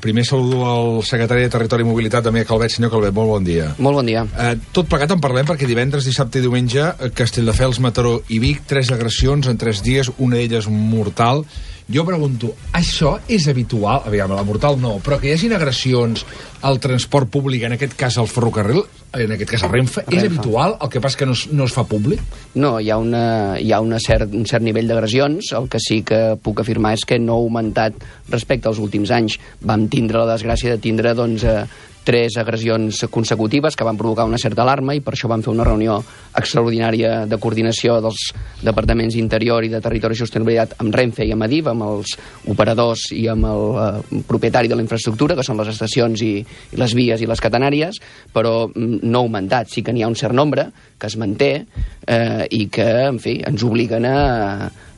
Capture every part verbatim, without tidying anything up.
primer saludo al secretari de Territori i Mobilitat, Damià Calvet. Senyor Calvet, molt bon dia. Molt bon dia. Eh, tot plegat en parlem perquè divendres, dissabte i diumenge, Castelldefels, Mataró i Vic, tres agressions en tres dies, una d'elles mortal. Jo pregunto, això és habitual? Aviam, la mortal no, però que hi hagin agressions al transport públic, en aquest cas al ferrocarril, en aquest cas a Renfe, Renfe. És habitual? El que passa que no es, no es fa públic? No, hi ha, una, hi ha una cert, un cert nivell d'agressions. El que sí que puc afirmar és que no ha augmentat respecte als últims anys. Vam tindre la desgràcia de tindre, doncs, eh, tres agressions consecutives que van provocar una certa alarma i per això vam fer una reunió extraordinària de coordinació dels departaments d'Interior i de Territori i Sostenibilitat amb Renfe i amb Adif, amb els operadors i amb el eh, propietari de la infraestructura, que són les estacions i, i les vies i les catenàries, però no ha augmentat. Sí que n'hi ha un cert nombre que es manté eh, i que, en fi, ens obliguen a...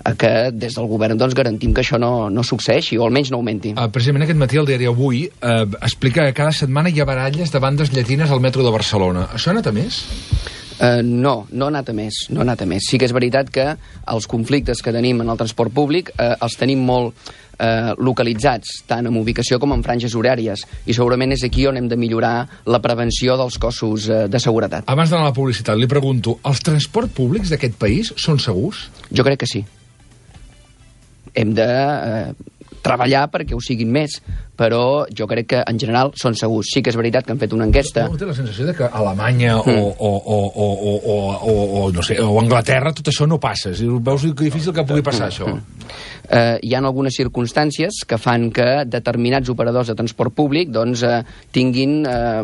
a que des del govern doncs, garantim que això no, no succeeixi, o almenys no augmenti. Uh, precisament aquest matí el diari Avui uh, explica que cada setmana hi ha baralles de bandes llatines al metro de Barcelona. Això ha anat a més? Uh, no, no ha anat a més, no ha anat a més. Sí que és veritat que els conflictes que tenim en el transport públic uh, els tenim molt uh, localitzats, tant en ubicació com en franges horàries, i segurament és aquí on hem de millorar la prevenció dels cossos uh, de seguretat. Abans d'anar a la publicitat, li pregunto, els transports públics d'aquest país són segurs? Jo crec que sí. Hem de eh, treballar perquè ho siguin més, però jo crec que en general són segurs. Sí que és veritat que han fet una enquesta. No té la sensació de que a Alemanya mm. o, o, o, o, o, o, o, no sé, o Anglaterra tot això no passa? Veus que difícil que pugui passar mm. això? Mm. Eh, hi ha algunes circumstàncies que fan que determinats operadors de transport públic doncs, eh, tinguin... Eh,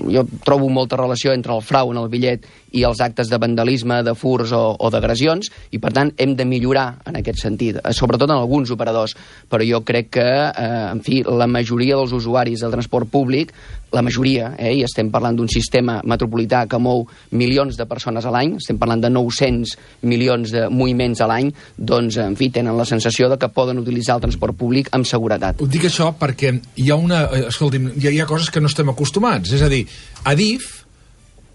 jo trobo molta relació entre el frau en el bitllet i els actes de vandalisme, de furs o, o d'agressions, i per tant hem de millorar en aquest sentit, eh, sobretot en alguns operadors. Però jo crec que, eh, en fi, la majoria dels usuaris del transport públic, la majoria, eh, i estem parlant d'un sistema metropolità que mou milions de persones a l'any, estem parlant de nou-cents milions de moviments a l'any, doncs, en fi, tenen la sensació de que poden utilitzar el transport públic amb seguretat. Ho dic això perquè hi ha una... Escolti'm, hi ha, hi ha coses que no estem acostumats. És a dir, Adif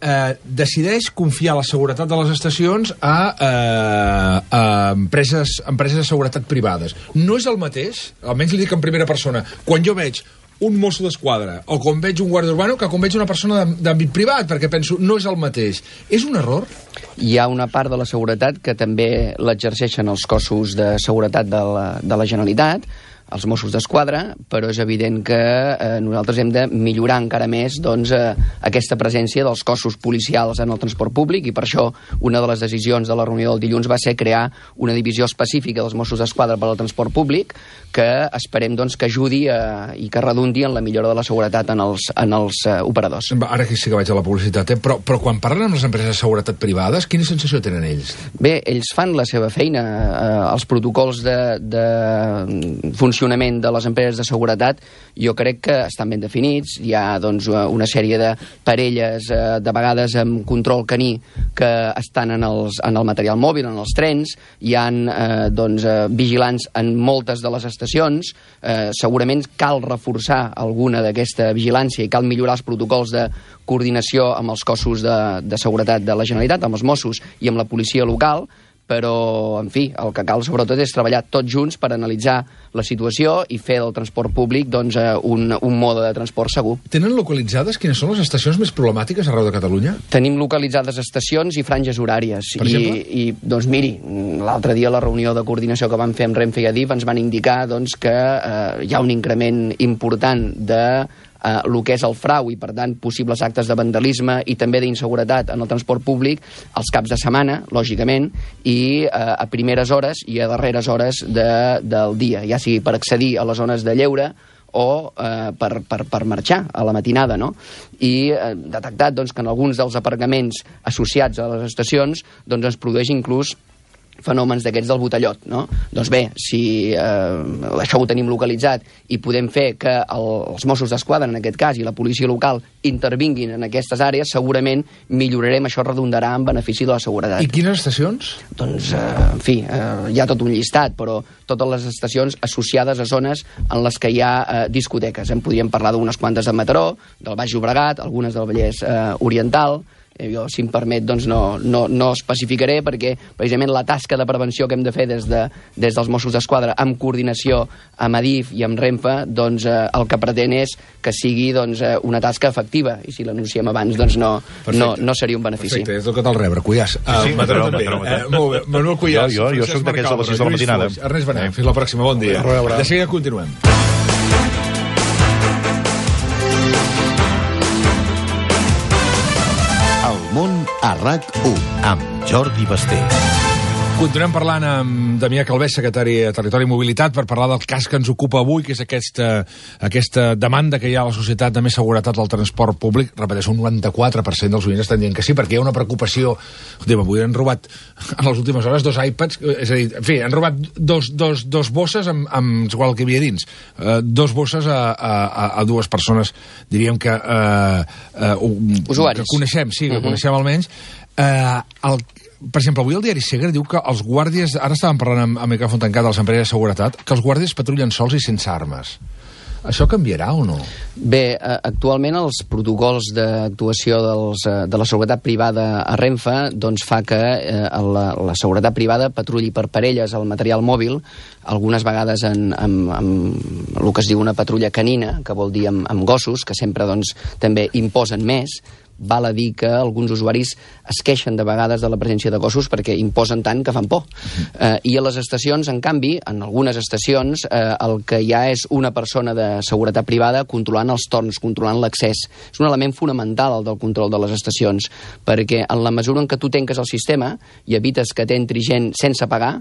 eh, decideix confiar la seguretat de les estacions a, eh, a empreses, empreses de seguretat privades. No és el mateix, almenys li dic en primera persona, quan jo veig un mosso d'esquadra o quan veig un guàrdia urbano que quan veig una persona d'àmbit privat, perquè penso, no és el mateix. És un error? Hi ha una part de la seguretat que també l'exerceixen els cossos de seguretat de la, de la Generalitat, els Mossos d'Esquadra, però és evident que eh, nosaltres hem de millorar encara més doncs, eh, aquesta presència dels cossos policials en el transport públic, i per això una de les decisions de la reunió del dilluns va ser crear una divisió específica dels Mossos d'Esquadra per al transport públic, que esperem doncs, que ajudi a, i que redundi en la millora de la seguretat en els, en els uh, operadors. Ara que sí que vaig a la publicitat, eh? però, però quan parlen amb les empreses de seguretat privades, quina sensació tenen ells? Bé, ells fan la seva feina. Eh, els protocols de, de funcionament de les empreses de seguretat jo crec que estan ben definits. Hi ha doncs, una sèrie de parelles, eh, de vegades amb control caní, que estan en, els, en el material mòbil, en els trens. Hi ha eh, doncs, eh, vigilants en moltes de les estacions. Eh, segurament cal reforçar alguna d'aquesta vigilància i cal millorar els protocols de coordinació amb els cossos de, de seguretat de la Generalitat, amb els Mossos i amb la policia local, però, en fi, el que cal sobretot és treballar tots junts per analitzar la situació i fer del transport públic doncs, un, un mode de transport segur. Tenen localitzades quines són les estacions més problemàtiques arreu de Catalunya? Tenim localitzades estacions i franges horàries. Per I, exemple? I, doncs miri, l'altre dia a la reunió de coordinació que vam fer amb Renfe i Adif ens van indicar doncs, que eh, hi ha un increment important de Uh, el que és el frau i, per tant, possibles actes de vandalisme i també d'inseguretat en el transport públic als caps de setmana, lògicament, i uh, a primeres hores i a darreres hores de, del dia, ja sigui per accedir a les zones de lleure o eh, per, per, per marxar a la matinada, no? I eh, detectat doncs, que en alguns dels aparcaments associats a les estacions doncs, es produeix inclús fenòmens d'aquests del botellot, no? Doncs bé, si eh, això ho tenim localitzat i podem fer que el, els Mossos d'Esquadra, en aquest cas, i la policia local intervinguin en aquestes àrees, segurament millorarem, això redundarà en benefici de la seguretat. I quines estacions? Doncs, eh, en fi, eh, hi ha tot un llistat, però totes les estacions associades a zones en les que hi ha eh, discoteques. En podríem parlar d'unes quantes de Mataró, del Baix Llobregat, algunes del Vallès eh, Oriental, Jo, si em permet, doncs no, no, no especificaré, perquè precisament la tasca de prevenció que hem de fer des, de, des dels Mossos d'Esquadra, amb coordinació amb Adif i amb Renfe, doncs eh, el que pretén és que sigui doncs, eh, una tasca efectiva, i si l'anunciem abans doncs no, no, no seria un benefici. Perfecte, és el que t'el rebre, Cuyàs. Sí, sí, Mataró també. Eh, molt bé, Manuel Cuyàs. Jo, jo, jo soc d'aquests de les sis de la matinada. Ernest Benet, fins la pròxima, bon dia. De seguida continuem. El món a RAC u, amb Jordi Basté. Continuem parlant amb Damià Calvés, secretari de Territori i Mobilitat, per parlar del cas que ens ocupa avui, que és aquesta, aquesta demanda que hi ha a la societat de més seguretat al transport públic. Repeteixo, un noranta-quatre per cent dels oients estan dient que sí, perquè hi ha una preocupació. Escolta, avui han robat en les últimes hores dos iPads, és a dir, en fi, han robat dos, dos, dos bosses amb, amb igual que hi havia dins. Uh, dos bosses a, a, a dues persones, diríem que... Uh, uh, Usuaris. Que coneixem, sí, que uh -huh. coneixem almenys. Uh, el Per exemple, avui el diari Segre diu que els guàrdies, ara estàvem parlant amb, amb micròfon tancat de les empreses de seguretat, que els guàrdies patrullen sols i sense armes. Això canviarà o no? Bé, actualment els protocols d'actuació dels, de la seguretat privada a Renfe doncs fa que eh, la, la seguretat privada patrulli per parelles el material mòbil, algunes vegades en, en, en el que es diu una patrulla canina, que vol dir amb, amb gossos, que sempre doncs, també imposen més. Val a dir que alguns usuaris es queixen de vegades de la presència de gossos perquè imposen tant que fan por. Eh, I a les estacions, en canvi, en algunes estacions, eh, el que hi ha és una persona de seguretat privada controlant els torns, controlant l'accés. És un element fonamental el del control de les estacions, perquè en la mesura en què tu tanques el sistema i evites que t'entri gent sense pagar,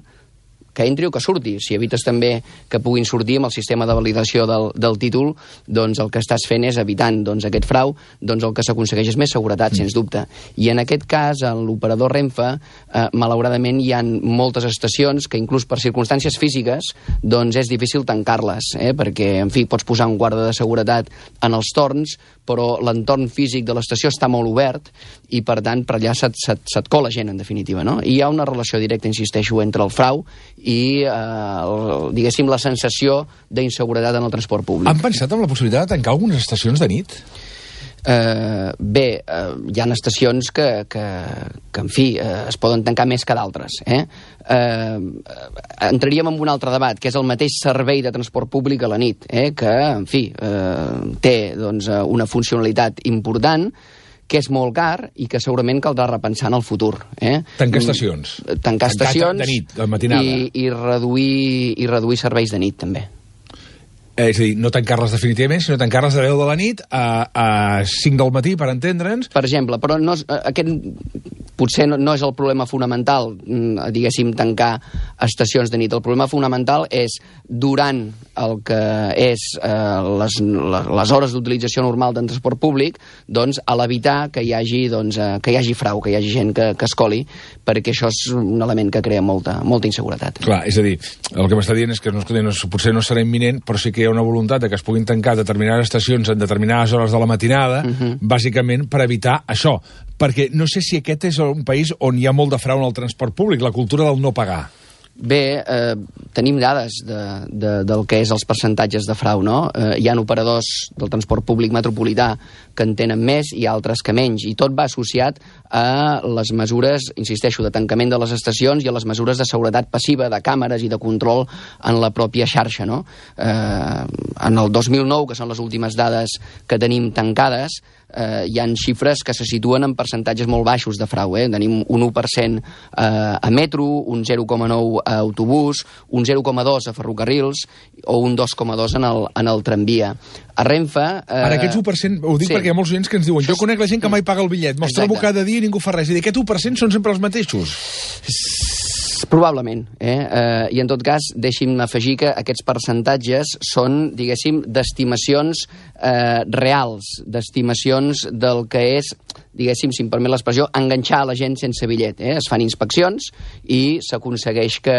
que entri o que surti. Si evites també que puguin sortir amb el sistema de validació del, del títol, doncs el que estàs fent és evitant doncs, aquest frau, doncs el que s'aconsegueix és més seguretat, mm. sens dubte. I en aquest cas, en l'operador Renfe, eh, malauradament hi ha moltes estacions que inclús per circumstàncies físiques doncs és difícil tancar-les, eh? perquè, en fi, pots posar un guarda de seguretat en els torns, però l'entorn físic de l'estació està molt obert i, per tant, per allà se't, se't, se't cola gent, en definitiva, no? I hi ha una relació directa, insisteixo, entre el frau i, eh, diguéssim, la sensació d'inseguretat en el transport públic. Han pensat en la possibilitat de tancar algunes estacions de nit? Uh, bé, uh, hi ha estacions que, que, que en fi, uh, es poden tancar més que d'altres. Eh? Uh, entraríem en un altre debat, que és el mateix servei de transport públic a la nit, eh? que, en fi, uh, té doncs, una funcionalitat important, que és molt car i que segurament caldrà repensar en el futur. Eh? Tancar estacions. Tancar estacions de nit, de matinada. I, i, reduir, i reduir serveis de nit, també. Eh, és a dir, no tancar-les definitivament, sinó tancar-les de deu de la nit a, a cinc del matí, per entendre'ns. Per exemple, però no, aquest potser no, no és el problema fonamental, diguéssim, tancar estacions de nit. El problema fonamental és, durant el que és eh, les, les hores d'utilització normal del transport públic, doncs, a l'evitar que hi hagi, doncs, eh, que hi hagi frau, que hi hagi gent que, que es coli, perquè això és un element que crea molta, molta inseguretat. Clar, és a dir, el que m'està dient és que no, no, potser no serà imminent, però sí que hi ha una voluntat de que es puguin tancar determinades estacions en determinades hores de la matinada, uh-huh. bàsicament per evitar això. Perquè no sé si aquest és un país on hi ha molt de frau en el transport públic, la cultura del no pagar. Bé, eh, tenim dades de, de, del que és els percentatges de frau, no? Eh, hi ha operadors del transport públic metropolità que en tenen més i altres que menys, i tot va associat a les mesures, insisteixo, de tancament de les estacions i a les mesures de seguretat passiva, de càmeres i de control en la pròpia xarxa, no? Eh, en el dos mil nou, que són les últimes dades que tenim tancades, eh, hi ha xifres que se situen en percentatges molt baixos de frau. Eh? Tenim un u per cent eh, a metro, un zero coma nou a autobús, un zero coma dos a ferrocarrils o un dos coma dos en el, en el tramvia. A Renfe... Eh... Ara, aquests u per cent, ho dic sí. perquè hi ha molts oients que ens diuen jo conec la gent que mai paga el bitllet, me'ls trobo cada dia i ningú fa res. I aquest u per cent són sempre els mateixos? Probablement, eh? eh? I en tot cas, deixi'm afegir que aquests percentatges són, diguéssim, d'estimacions eh, reals, d'estimacions del que és, diguéssim, si em permet l'expressió, enganxar la gent sense bitllet. Eh? Es fan inspeccions i s'aconsegueix que,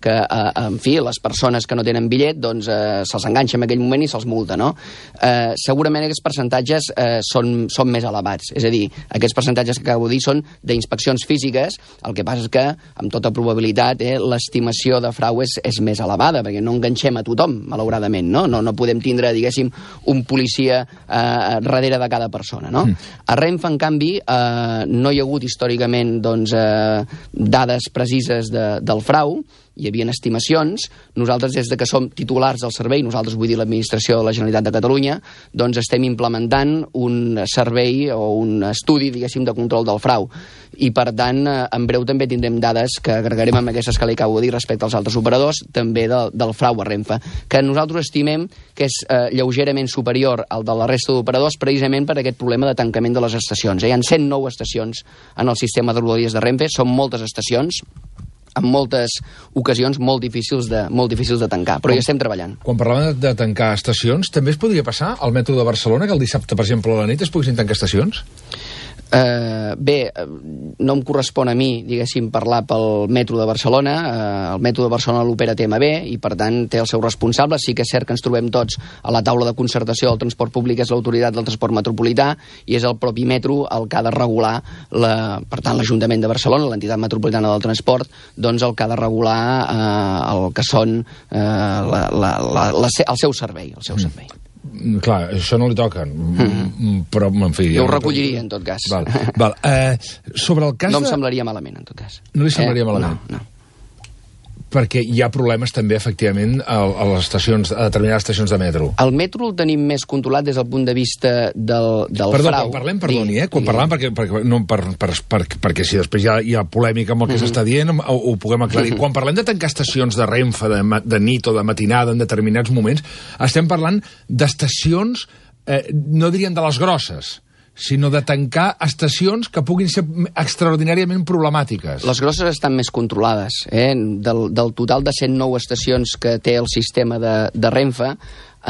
que eh, en fi, les persones que no tenen bitllet doncs eh, se'ls enganxa en aquell moment i se'ls multa, no? Eh, segurament aquests percentatges eh, són, són més elevats. És a dir, aquests percentatges que acabo de dir són d'inspeccions físiques, el que passa és que, amb tota probabilitat, eh, l'estimació de frau és, és més elevada, perquè no enganxem a tothom, malauradament, no? No, no podem tindre, diguéssim, un policia eh, darrere de cada persona, no? Mm. A Renfe, en en canvi, eh, no hi ha hagut històricament doncs, eh, dades precises de, del frau, hi havia estimacions. Nosaltres, des de que som titulars del servei, nosaltres vull dir l'administració de la Generalitat de Catalunya, doncs estem implementant un servei o un estudi, diguéssim, de control del frau. I, per tant, en breu també tindrem dades que agregarem amb aquestes que li acabo de dir respecte als altres operadors, també de, del frau a Renfe, que nosaltres estimem que és eh, lleugerament superior al de la resta d'operadors, precisament per aquest problema de tancament de les estacions. Hi ha cent nou estacions en el sistema de rodalies de Renfe, són moltes estacions, en moltes ocasions molt difícils de, molt difícils de tancar, però hi estem treballant. Quan parlàvem de, de tancar estacions, també es podria passar al metro de Barcelona, que el dissabte, per exemple, a la nit es poguessin tancar estacions? Uh, bé, no em correspon a mi, diguéssim, parlar pel metro de Barcelona. Uh, el metro de Barcelona l'opera T M B i, per tant, té el seu responsable. Sí que és cert que ens trobem tots a la taula de concertació del transport públic, és l'autoritat del transport metropolità, i és el propi metro el que ha de regular, la, per tant, l'Ajuntament de Barcelona, l'entitat metropolitana del transport, doncs el que ha de regular uh, el que són uh, la, la, la, la, el seu servei, el seu servei. Mm, clar, això no li toca, mm. però, en fi... Jo ho recolliria, en tot cas. Val, val. Eh, sobre el cas no em de... semblaria malament, en tot cas. No li semblaria eh? malament? No, no. Perquè hi ha problemes també, efectivament, a, a les estacions, a determinades estacions de metro. El metro el tenim més controlat des del punt de vista del, del Perdó, frau. quan parlem, perdoni, eh? Quan parlem, perquè, perquè, no, per, per, per, perquè si després hi ha, hi ha polèmica amb el que mm-hmm. s'està dient, ho, ho puguem aclarir. Mm-hmm. Quan parlem de tancar estacions de Renfe, de, de nit o de matinada en determinats moments, estem parlant d'estacions, eh, no diríem de les grosses, sinó de tancar estacions que puguin ser extraordinàriament problemàtiques. Les grosses estan més controlades. Eh? Del, del total de cent nou estacions que té el sistema de, de Renfe,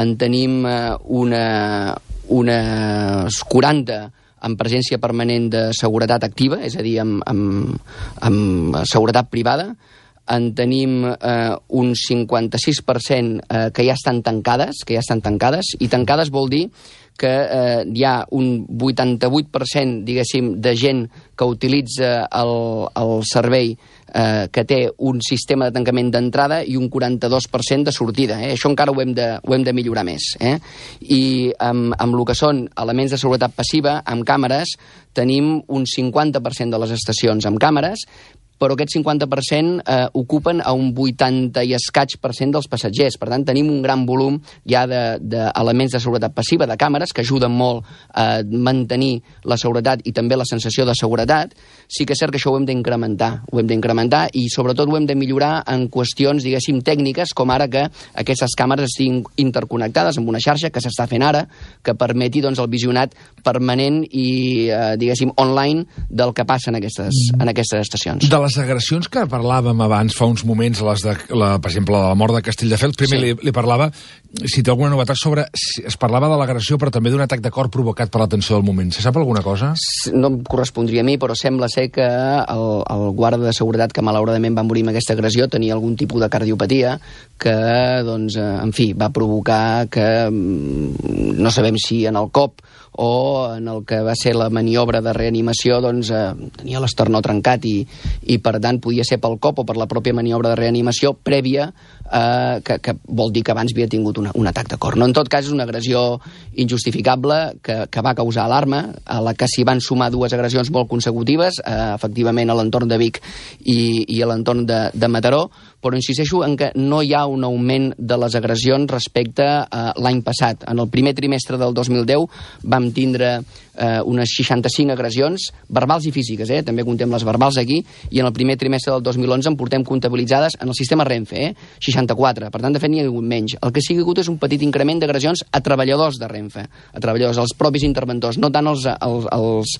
en tenim eh, una, unes quaranta amb presència permanent de seguretat activa, és a dir, amb, amb, amb seguretat privada. En tenim eh, un cinquanta-sis per cent eh, que ja estan tancades, que ja estan tancades, i tancades vol dir que eh, hi ha un vuitanta-vuit per cent, diguéssim, de gent que utilitza el, el servei eh, que té un sistema de tancament d'entrada i un quaranta-dos per cent de sortida. Eh? Això encara ho hem de, ho hem de millorar més. Eh? I amb, amb el que són elements de seguretat passiva, amb càmeres, tenim un cinquanta per cent de les estacions amb càmeres, però aquest cinquanta per cent eh, ocupen a un vuitanta i escaig per cent dels passatgers. Per tant, tenim un gran volum ja d'elements de, de seguretat passiva, de càmeres, que ajuden molt a mantenir la seguretat i també la sensació de seguretat. Sí que és cert que això ho hem d'incrementar, ho hem d'incrementar i sobretot ho hem de millorar en qüestions, diguéssim, tècniques, com ara que aquestes càmeres estiguin interconnectades amb una xarxa que s'està fent ara, que permeti doncs, el visionat permanent i, eh, diguéssim, online del que passa en aquestes, en aquestes estacions. De les agressions que parlàvem abans, fa uns moments, les de, la, per exemple, la mort de Castelldefels, primer sí. li, li parlava, si té alguna novetat sobre... Si es parlava de l'agressió, però també d'un atac de cor provocat per la tensió del moment. Se sap alguna cosa? No em correspondria a mi, però sembla ser que el, el guarda de seguretat que malauradament va morir amb aquesta agressió tenia algun tipus de cardiopatia que, doncs, en fi, va provocar que no sabem si en el cop o en el que va ser la maniobra de reanimació, doncs, eh, tenia l'esternó trencat i, i, per tant, podia ser pel cop o per la pròpia maniobra de reanimació prèvia, eh, que, que vol dir que abans havia tingut una, un atac de cor. No, en tot cas, és una agressió injustificable que, que va causar alarma, a la que s'hi van sumar dues agressions molt consecutives, eh, efectivament a l'entorn de Vic i, i a l'entorn de, de Mataró, però insisteixo en que no hi ha un augment de les agressions respecte a l'any passat. En el primer trimestre del dos mil deu vam tindre eh, unes seixanta-cinc agressions, verbals i físiques, eh? també contem les verbals aquí, i en el primer trimestre del dos mil onze en portem comptabilitzades en el sistema Renfe, eh? seixanta-quatre, per tant, de fet, n'hi ha hagut menys. El que sí que hi ha hagut és un petit increment d'agressions a treballadors de Renfe, a treballadors, als propis interventors, no tant als, als, als,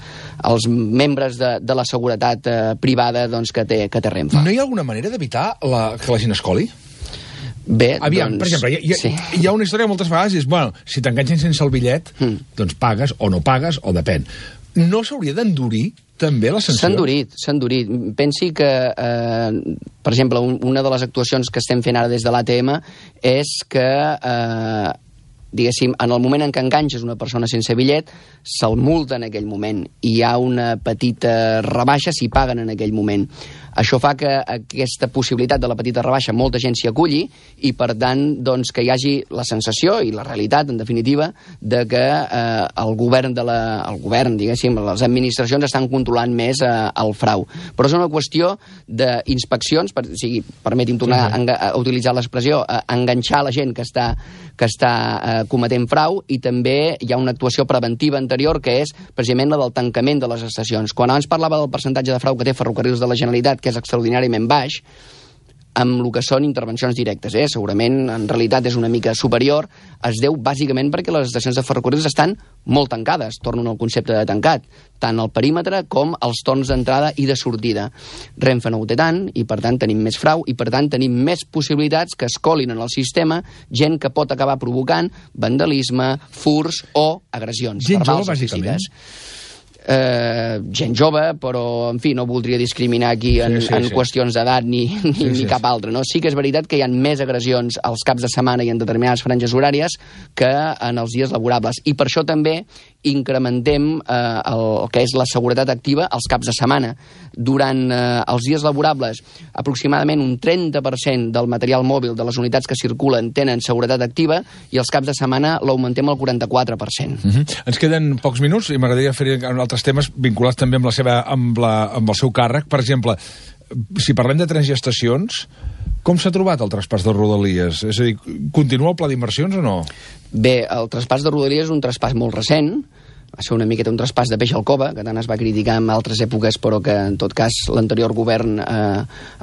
als membres de, de la seguretat eh, privada doncs, que, té, que té Renfe. No hi ha alguna manera d'evitar la, que la gent es coli? Bé, Aviam, doncs, per exemple, hi, hi, sí. hi ha una història que moltes vegades és, bueno, si t'enganxen sense el bitllet, mm. doncs pagues o no pagues, o depèn. No s'hauria d'endurir també la sanció? S'ha endurit, s'ha endurit. Pensi que, eh, per exemple, un, una de les actuacions que estem fent ara des de l'A T M és que eh, diguéssim, en el moment en què enganxes una persona sense bitllet, se'l multa en aquell moment i hi ha una petita rebaixa si paguen en aquell moment. Això fa que aquesta possibilitat de la petita rebaixa molta gent s'hi aculli i, per tant, doncs, que hi hagi la sensació i la realitat, en definitiva, de que eh, el govern, de la, el govern, diguéssim, les administracions estan controlant més eh, el frau. Però és una qüestió d'inspeccions, per, o sigui, permeti'm tornar sí, sí. A, a utilitzar l'expressió, a enganxar la gent que està, que està eh, cometent frau, i també hi ha una actuació preventiva anterior que és precisament la del tancament de les estacions. Quan abans parlava del percentatge de frau que té Ferrocarrils de la Generalitat, que és extraordinàriament baix, amb el que són intervencions directes, eh? Segurament en realitat és una mica superior, es deu bàsicament perquè les estacions de ferrocarrils estan molt tancades, tornen al concepte de tancat, tant el perímetre com els torns d'entrada i de sortida. Renfe no ho té tant, i per tant tenim més frau, i per tant tenim més possibilitats que es colin en el sistema gent que pot acabar provocant vandalisme, furs o agressions gent verbals jove, o físiques. bàsicament. Eh, gent jove, però, en fi, no voldria discriminar aquí en, sí, sí, en sí. qüestions d'edat ni, ni, sí, ni sí, cap altre. No? Sí que és veritat que hi ha més agressions als caps de setmana i en determinades franges horàries que en els dies laborables. I per això també incrementem eh, el, el que és la seguretat activa als caps de setmana. Durant eh, els dies laborables, aproximadament un trenta per cent del material mòbil de les unitats que circulen tenen seguretat activa, i els caps de setmana l'augmentem al quaranta-quatre per cent. Uh-huh. Ens queden pocs minuts i m'agradaria fer un altre temes vinculats també amb, la seva, amb, la, amb el seu càrrec. Per exemple, si parlem de trens i estacions, com s'ha trobat el traspàs de Rodalies? És a dir, continua el pla d'inversions o no? Bé, el traspàs de Rodalies és un traspàs molt recent, va ser una miqueta un traspàs de peix al cova, que tant es va criticar en altres èpoques, però que en tot cas l'anterior govern eh,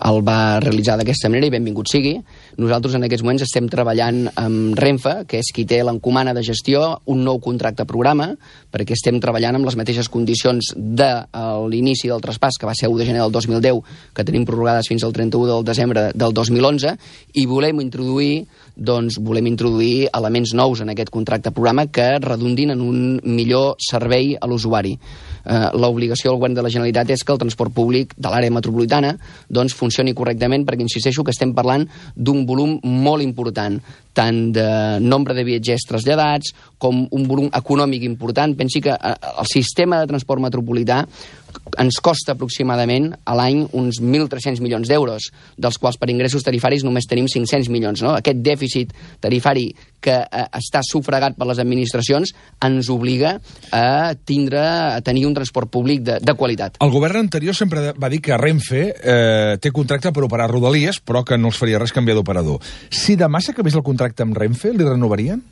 el va realitzar d'aquesta manera, i benvingut sigui. Nosaltres en aquests moments estem treballant amb Renfe, que és qui té l'encomana de gestió, un nou contracte programa, perquè estem treballant amb les mateixes condicions de l'inici del traspàs, que va ser u de gener del dos mil deu, que tenim prorrogades fins al trenta-u del desembre del dos mil onze, i volem introduir, doncs, volem introduir elements nous en aquest contracte programa que redundin en un millor servei a l'usuari. Eh, l'obligació del govern de la Generalitat és que el transport públic de l'àrea metropolitana doncs, funcioni correctament, perquè insisteixo que estem parlant d'un volum molt important, tant de nombre de viatgers traslladats com un volum econòmic important. Pensi que eh, el sistema de transport metropolità ens costa aproximadament a l'any uns mil tres-cents milions d'euros, dels quals per ingressos tarifaris només tenim cinc-cents milions. No? Aquest dèficit tarifari que eh, està sufragat per les administracions ens obliga a tindre, a tenir un transport públic de, de qualitat. El govern anterior sempre va dir que Renfe eh, té contracte per operar Rodalies, però que no els faria res canviar d'operador. Si demà s'acabés el contracte amb Renfe, li renovarien?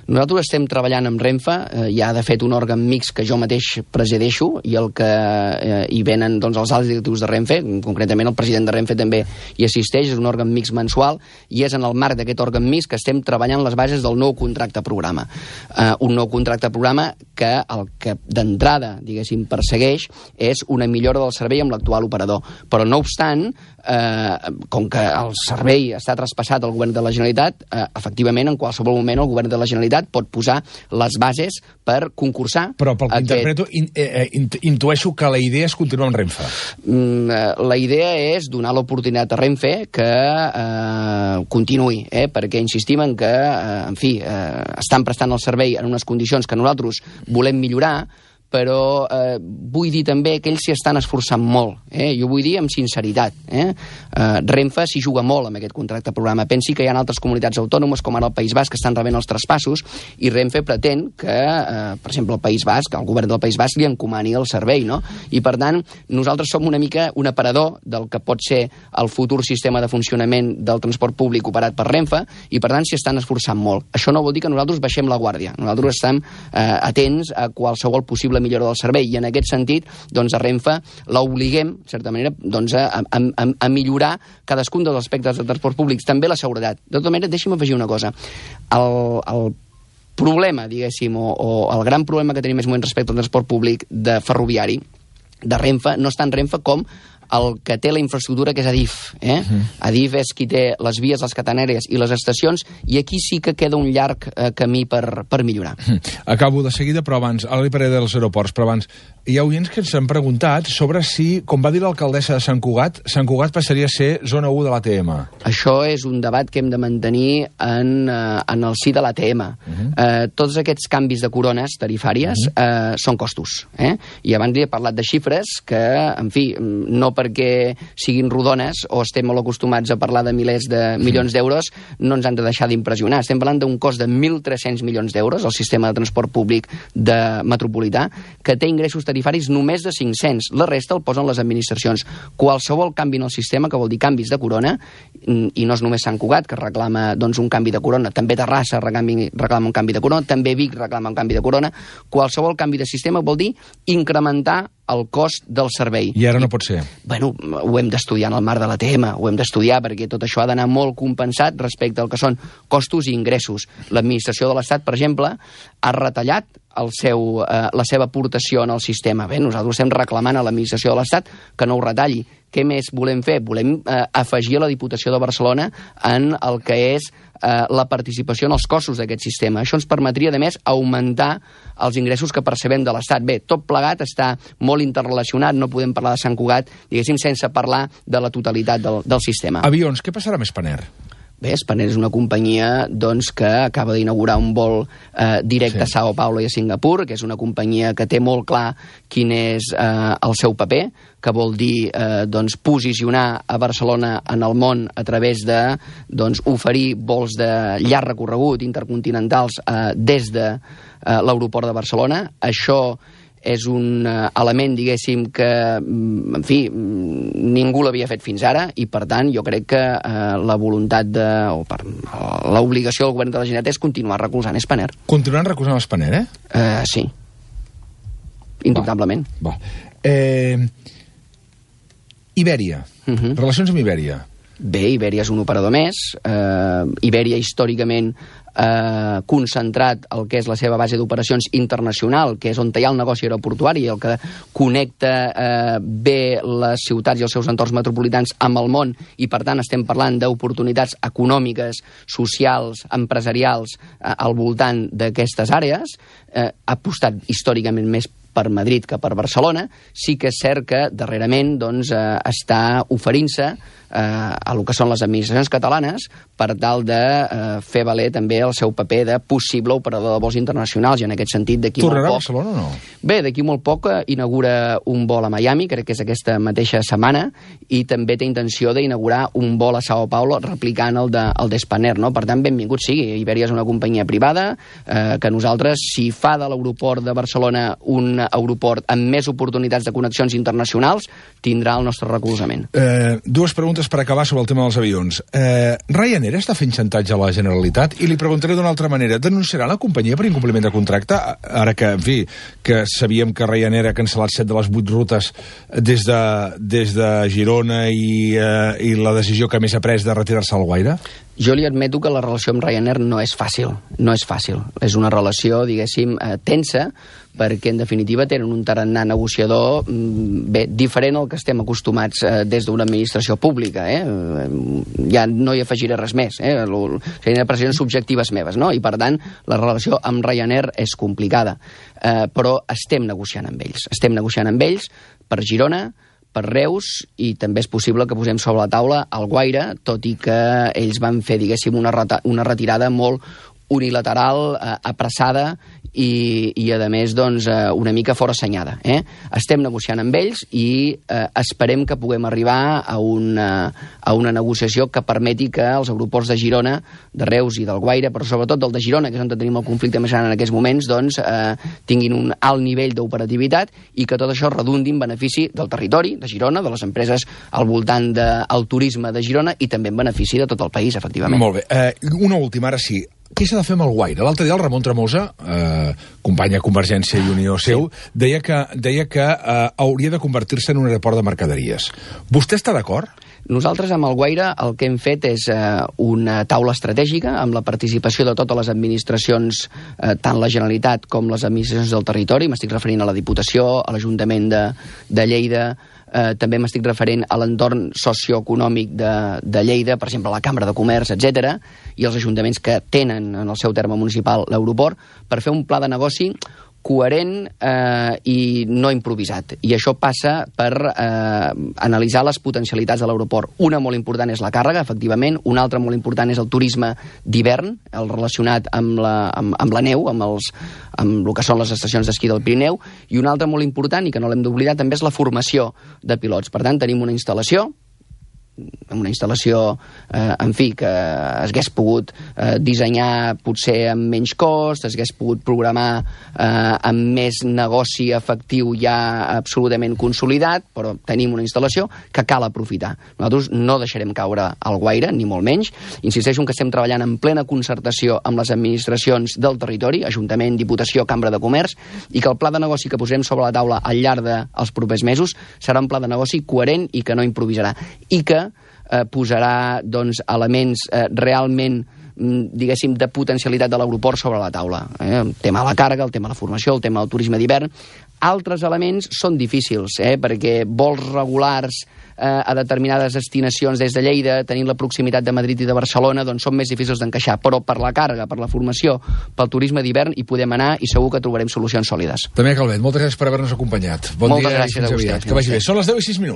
Nosaltres estem treballant amb Renfe, eh, hi ha de fet un òrgan mix que jo mateix presideixo, i el que eh, hi venen doncs, els alts directius de Renfe, concretament el president de Renfe també hi assisteix, és un òrgan mix mensual, i és en el marc d'aquest òrgan mix que estem treballant les bases del nou contracte programa. Eh, un nou contracte programa que el que d'entrada, diguéssim, persegueix és una millora del servei amb l'actual operador. Però no obstant, eh, com que el servei està traspassat al govern de la Generalitat, eh, efectivament, en qualsevol moment el govern de la Generalitat pot posar les bases per concursar. Però pel que aquest... interpreto, in, eh, intueixo que la idea és continuar amb Renfe. Mm, la idea és donar l'oportunitat a Renfe que eh, continuï, eh, perquè insistim en que, eh, en fi, eh, estan prestant el servei en unes condicions que nosaltres volem millorar, però eh, vull dir també que ells s'hi estan esforçant molt. Eh? Jo vull dir amb sinceritat. Eh? Eh, Renfe s'hi juga molt amb aquest contracte programa. Pensi que hi ha altres comunitats autònomes, com ara el País Basc, que estan rebent els traspassos, i Renfe pretén que, eh, per exemple, el País Basc, el govern del País Basc li encomani el servei, no? I, per tant, nosaltres som una mica un aparador del que pot ser el futur sistema de funcionament del transport públic operat per Renfe, i, per tant, s'hi estan esforçant molt. Això no vol dir que nosaltres baixem la guàrdia. Nosaltres estem eh, atents a qualsevol possible millora del servei, i en aquest sentit doncs a Renfe l'obliguem, en certa manera, doncs a, a, a, a millorar cadascun dels aspectes del transport públic, també la seguretat. De tota manera, deixi'm afegir una cosa. El, el problema, diguéssim, o, o el gran problema que tenim en aquest moment respecte al transport públic de ferroviari de Renfe no és tant Renfe com el que té la infraestructura, que és Adif. Eh? Uh-huh. Adif és qui té les vies, les catenàries i les estacions, i aquí sí que queda un llarg eh, camí per, per millorar. Uh-huh. Acabo de seguida, però abans, ara li parlaré dels aeroports, però abans, hi ha oients que ens han preguntat sobre si, com va dir l'alcaldessa de Sant Cugat, Sant Cugat passaria a ser zona u de l'A T M. Això és un debat que hem de mantenir en, eh, en el si de l'A T M. Uh-huh. eh, tots aquests canvis de corones tarifàries uh-huh. eh, són costos. Eh? I abans li he parlat de xifres que, en fi, no perquè siguin rodones o estem molt acostumats a parlar de milers de milions d'euros, no ens han de deixar d'impressionar. Estem parlant d'un cost de mil tres-cents milions d'euros, el sistema de transport públic de metropolità, que té ingressos tarifaris només de cinc-cents. La resta el posen les administracions. Qualsevol canvi en el sistema, que vol dir canvis de corona, i no és només Sant Cugat, que reclama doncs, un canvi de corona, també Terrassa reclama, reclama un canvi de corona, també Vic reclama un canvi de corona, qualsevol canvi de sistema vol dir incrementar el cost del servei. I ara no pot ser. Bueno, ho hem d'estudiar en el marc de l'A T M, ho hem d'estudiar perquè tot això ha d'anar molt compensat respecte al que són costos i ingressos. L'administració de l'Estat, per exemple, ha retallat el seu, eh, la seva aportació en el sistema. Bé, nosaltres estem reclamant a l'administració de l'Estat que no ho retalli. Què més volem fer? Volem eh, afegir a la Diputació de Barcelona en el que és eh, la participació en els costos d'aquest sistema. Això ens permetria, a més, augmentar els ingressos que percebem de l'Estat. Bé, tot plegat està molt interrelacionat, no podem parlar de Sant Cugat, diguéssim, sense parlar de la totalitat del, del sistema. Avions, què passarà amb Spanair? Bé, Spanair és una companyia doncs, que acaba d'inaugurar un vol eh, directe sí. a Sao Paulo i a Singapur, que és una companyia que té molt clar quin és eh, el seu paper, que vol dir eh, doncs, posicionar a Barcelona en el món a través de doncs, oferir vols de llarg recorregut intercontinentals eh, des de eh, l'aeroport de Barcelona. Això és un element, diguéssim, que, en fi, ningú l'havia fet fins ara, i, per tant, jo crec que eh, la voluntat de, o per, l'obligació del govern de la Generalitat és continuar recolzant Spanair. Continuant recolzant Spanair, eh? Eh, sí. Indubtablement. Va. Va. Eh, Ibèria. Uh-huh. Relacions amb Ibèria. Bé, Ibèria és un operador més. Eh, Ibèria, històricament, eh, concentrat el que és la seva base d'operacions internacional, que és on hi ha el negoci aeroportuari, el que connecta eh, bé les ciutats i els seus entorns metropolitans amb el món, i per tant estem parlant d'oportunitats econòmiques, socials, empresarials eh, al voltant d'aquestes àrees. Eh, ha apostat històricament més per Madrid que per Barcelona. Sí que és cert que darrerament doncs, eh, està oferint-se eh, a lo que són les administracions catalanes per tal de eh, fer valer també el seu paper de possible operador de vols internacionals, i en aquest sentit d'aquí molt poc... Tornarà a Barcelona o no? Bé, d'aquí molt poc inaugura un vol a Miami, crec que és aquesta mateixa setmana, i també té intenció d'inaugurar un vol a Sao Paulo replicant el de, el de Spanair, no? Per tant, benvingut sigui. Ibèria és una companyia privada eh, que nosaltres, si fa de l'aeroport de Barcelona un aeroport amb més oportunitats de connexions internacionals, tindrà el nostre recolzament. Eh, dues preguntes per acabar sobre el tema dels avions. Eh, Ryanair està fent xantatge a la Generalitat? I li preguntaré d'una altra manera. Denunciarà la companyia per incompliment de contracte? Ara que, en fi, que sabíem que Ryanair ha cancel·lat set de les vuit rutes des de, des de Girona i, eh, i la decisió que més ha pres de retirar-se al Guaire? Jo li admeto que la relació amb Ryanair no és fàcil. No és fàcil. És una relació, diguéssim, eh, tensa, perquè en definitiva tenen un tarannà negociador bé, diferent al que estem acostumats eh, des d'una administració pública. Eh? Ja no hi afegiré res més. Eh? Serien apreciacions subjectives meves, no? I per tant la relació amb Ryanair és complicada. Eh, però estem negociant amb ells. Estem negociant amb ells per Girona, per Reus, i també és possible que posem sobre la taula el Guaire, tot i que ells van fer, diguéssim, una, reta, una retirada molt unilateral, eh, apressada i, i a més, doncs, eh, una mica forassenyada. Eh? Estem negociant amb ells i eh, esperem que puguem arribar a una, a una negociació que permeti que els aeroports de Girona, de Reus i del Guaire, però sobretot del de Girona, que és on tenim el conflicte més gran en aquests moments, doncs, eh, tinguin un alt nivell d'operativitat i que tot això redundi en benefici del territori de Girona, de les empreses al voltant del turisme de Girona, i també en benefici de tot el país, efectivament. Molt bé. Eh, una última, ara sí. Què s'ha de fer amb el Guaire? L'altre dia el Ramon Tremosa, eh, companya Convergència i Unió seu, sí. deia que, deia que eh, hauria de convertir-se en un aeroport de mercaderies. Vostè està d'acord? Nosaltres amb el Guaire el que hem fet és eh, una taula estratègica amb la participació de totes les administracions, eh, tant la Generalitat com les administracions del territori. M'estic referint a la Diputació, a l'Ajuntament de, de Lleida, eh, també m'estic referint a l'entorn socioeconòmic de, de Lleida, per exemple, la Cambra de Comerç, etcètera, i els ajuntaments que tenen en el seu terme municipal l'aeroport, per fer un pla de negoci coherent eh, i no improvisat. I això passa per eh, analitzar les potencialitats de l'aeroport. Una molt important és la càrrega, efectivament, una altra molt important és el turisme d'hivern, el relacionat amb la, amb, amb la neu, amb, els, amb el que són les estacions d'esquí del Pirineu, i una altra molt important, i que no l'hem d'oblidar, també és la formació de pilots. Per tant, tenim una instal·lació, una instal·lació, eh, en fi, que es hagués pogut eh, dissenyar potser amb menys cost, es hagués pogut programar eh, amb més negoci efectiu ja absolutament consolidat, però tenim una instal·lació que cal aprofitar. Nosaltres no deixarem caure el Guaire, ni molt menys. Insisteixo que estem treballant en plena concertació amb les administracions del territori, Ajuntament, Diputació, Cambra de Comerç, i que el pla de negoci que posarem sobre la taula al llarg dels propers mesos serà un pla de negoci coherent i que no improvisarà. I que eh, posarà doncs, elements eh, realment diguéssim, de potencialitat de l'aeroport sobre la taula. Eh? El tema de la càrrega, el tema de la formació, el tema del turisme d'hivern. Altres elements són difícils, eh? perquè vols regulars eh, a determinades destinacions des de Lleida, tenint la proximitat de Madrid i de Barcelona, doncs són més difícils d'encaixar. Però per la càrrega, per la formació, pel turisme d'hivern, hi podem anar i segur que trobarem solucions sòlides. També, Calvet, moltes gràcies per haver-nos acompanyat. Bon moltes dia gràcies i fins a aviat. vostè. Que vagi bé. Són les deu i sis minuts.